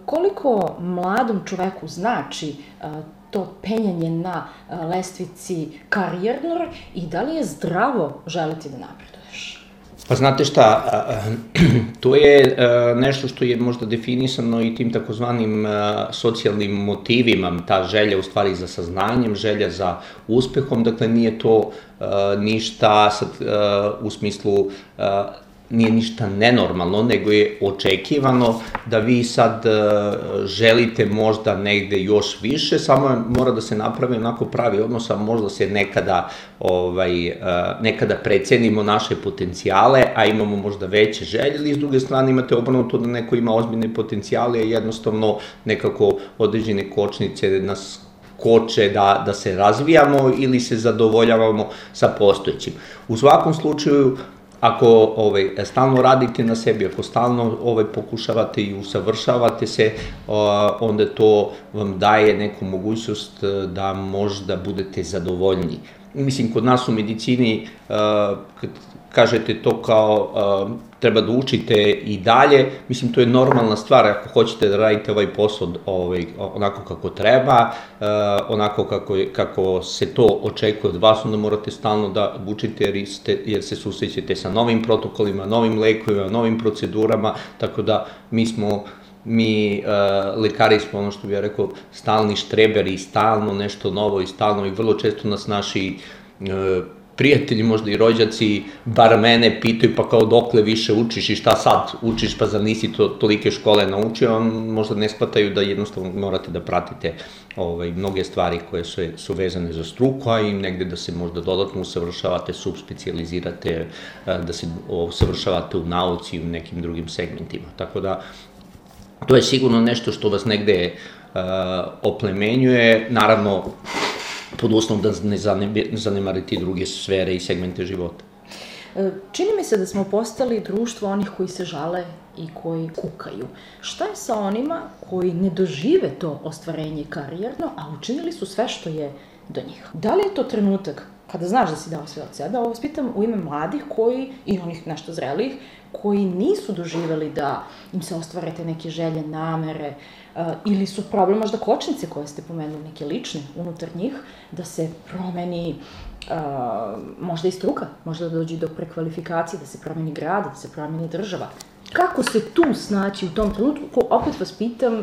Koliko mladom čoveku znači to penjanje na lestvici karijernoj i da li je zdravo želiti da napreduješ? Pa znate šta, to je nešto što je možda definisano i tim takozvanim socijalnim motivima, ta želja u stvari za saznanjem, želja za uspehom, dakle nije to ništa u smislu nije ništa nenormalno, nego je očekivano da vi sad želite možda negde još više, samo mora da se napravi onako pravi odnos, a možda se nekada precenimo naše potencijale, a imamo možda veće želje, ili s druge strane imate obrnuto da neko ima ozbiljne potencijale i jednostavno nekako određene kočnice nas koče da se razvijamo ili se zadovoljavamo sa postojećim. U svakom slučaju, ako stalno radite na sebi, ako stalno pokušavate i usavršavate se, onda to vam daje neku mogućnost da možda budete zadovoljni. Mislim, kod nas u medicini, kad kažete to kao treba da učite i dalje, mislim, to je normalna stvar, ako hoćete da radite ovaj posao onako kako treba, onako kako se to očekuje od vas, onda morate stalno da učite jer se susrećete sa novim protokolima, novim lekovima, novim procedurama, tako da mi lekari smo, ono što bih ja rekao, stalni štreberi, stalno nešto novo i stalno, i vrlo često nas naši prijatelji, možda i rođaci, bar mene pitaju pa kao dokle više učiš i šta sad učiš, pa zar nisi tolike škole naučio, možda ne shvataju da jednostavno morate da pratite mnoge stvari koje su vezane za struku, a i negde da se možda dodatno usavršavate, subspecijalizirate, da se usavršavate u nauci i u nekim drugim segmentima. Tako da, to je sigurno nešto što vas negde oplemenjuje, naravno, pod uslovom da ne zanemarite i druge sfere i segmente života. Čini mi se da smo postali društvo onih koji se žale i koji kukaju. Šta je sa onima koji ne dožive to ostvarenje karijerno, a učinili su sve što je do njih? Da li je to trenutak kada znaš da si dao sve od sebe? Ovo vas pitam u ime mladih koji, i onih nešto zrelijih, koji nisu doživeli da im se ostvare te neke želje, namere, ili su problem možda kočnice koje ste pomenuli, neke lične unutar njih, da se promeni možda i struka, možda da dođe do prekvalifikacije, da se promeni grad, da se promeni država. Kako se tu snaći u tom trenutku? Opet vas pitam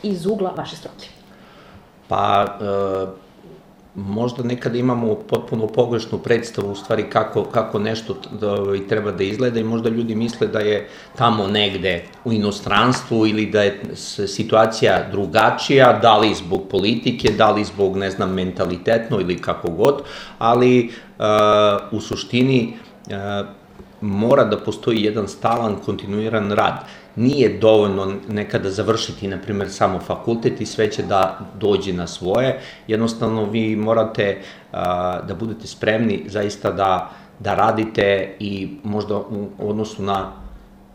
iz ugla vaše struke. Pa, možda nekada imamo potpuno pogrešnu predstavu u stvari kako nešto treba da izgleda i možda ljudi misle da je tamo negde u inostranstvu ili da je situacija drugačija, da li zbog politike, da li zbog, ne znam, mentalitetno ili kako god, ali u suštini mora da postoji jedan stalan, kontinuiran rad. Nije dovoljno nekada završiti, na primjer, samo fakultet i sve će da dođe na svoje. Jednostavno, vi morate da budete spremni zaista da radite i možda u odnosu na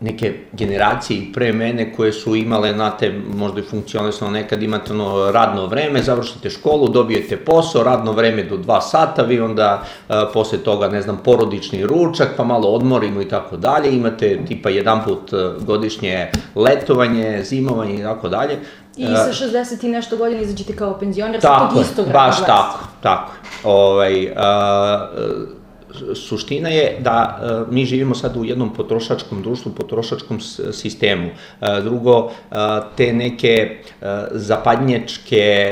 neke generacije pre mene koje su imale, znate, možda i funkcionalno, nekad imate radno vreme, završite školu, dobijete posao, radno vreme do 2 sata, vi onda posle toga, ne znam, porodični ručak, pa malo odmorimo i tako dalje, imate tipa jedan put godišnje letovanje, zimovanje i tako dalje. I sa 60 i nešto godina izađete kao penzioner sa tog istog radnog mesta. Tako. Suština je da mi živimo sad u jednom potrošačkom društvu, potrošačkom sistemu. Drugo, te neke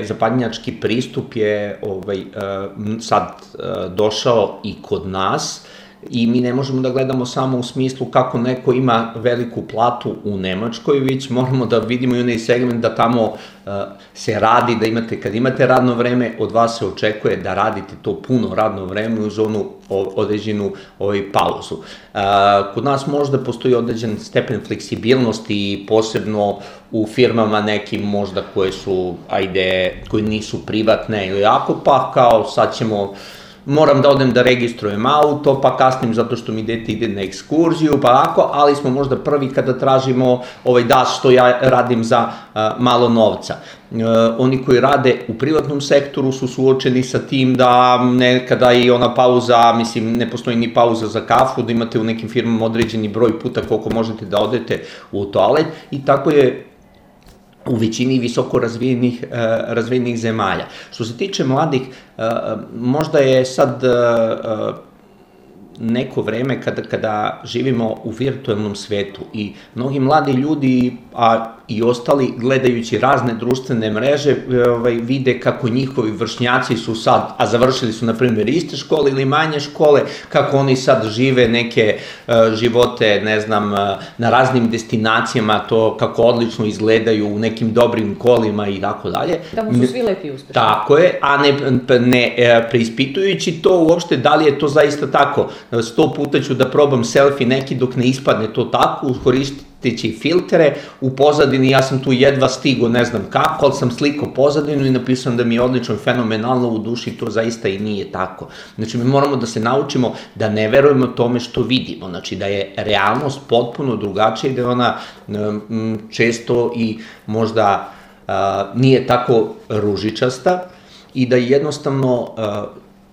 zapadnjački pristup je sad došao i kod nas i mi ne možemo da gledamo samo u smislu kako neko ima veliku platu u Nemačkoj, već moramo da vidimo i onaj segment da tamo se radi, da kad imate radno vreme, od vas se očekuje da radite to puno radno vreme uz onu određenu pauzu. Kod nas možda postoji određen stepen fleksibilnosti, posebno u firmama nekim možda koje nisu privatne ili ako, pa kao sad moram da odem da registrujem auto, pa kasnim zato što mi dete ide na ekskurziju, pa ako, ali smo možda prvi kada tražimo što ja radim za malo novca. Oni koji rade u privatnom sektoru su suočeni sa tim da nekada i ona pauza, mislim, ne postoji ni pauza za kafu, da imate u nekim firmama određeni broj puta koliko možete da odete u toalet i tako je u većini visoko razvijenih zemalja. Što se tiče mladih, možda je sad neko vreme kada živimo u virtualnom svetu i mnogi mladi ljudi, a i ostali gledajući razne društvene mreže vide kako njihovi vršnjaci su sad, a završili su na primjer iste škole ili manje škole, kako oni sad žive neke živote, ne znam, na raznim destinacijama, to kako odlično izgledaju u nekim dobrim kolima i tako dalje. Tamo su svi lepi i uspešni. Tako je, a ne preispitujući to uopšte da li je to zaista tako. 100 puta ću da probam selfie neki dok ne ispadne to tako, koristeći filtere, u pozadini ja sam tu jedva stigo, ne znam kako, ali sam slikao pozadinu i napisao da mi je odlično, fenomenalno, u duši to zaista i nije tako. Znači, mi moramo da se naučimo da ne verujemo tome što vidimo, znači da je realnost potpuno drugačija i da je ona često i možda nije tako ružičasta i da jednostavno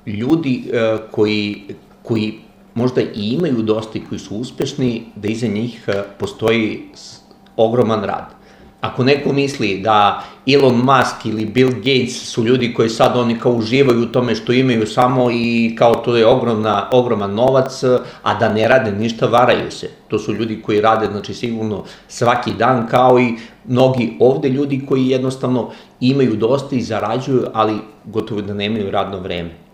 ljudi koji možda i imaju dosta i koji su uspešni, da iza njih postoji ogroman rad. Ako neko misli da Elon Musk ili Bill Gates su ljudi koji sad oni kao uživaju u tome što imaju samo i kao to je ogroman novac, a da ne rade ništa, varaju se. To su ljudi koji rade, znači sigurno svaki dan, kao i mnogi ovde ljudi koji jednostavno imaju dosta i zarađuju, ali gotovo da nemaju radno vreme.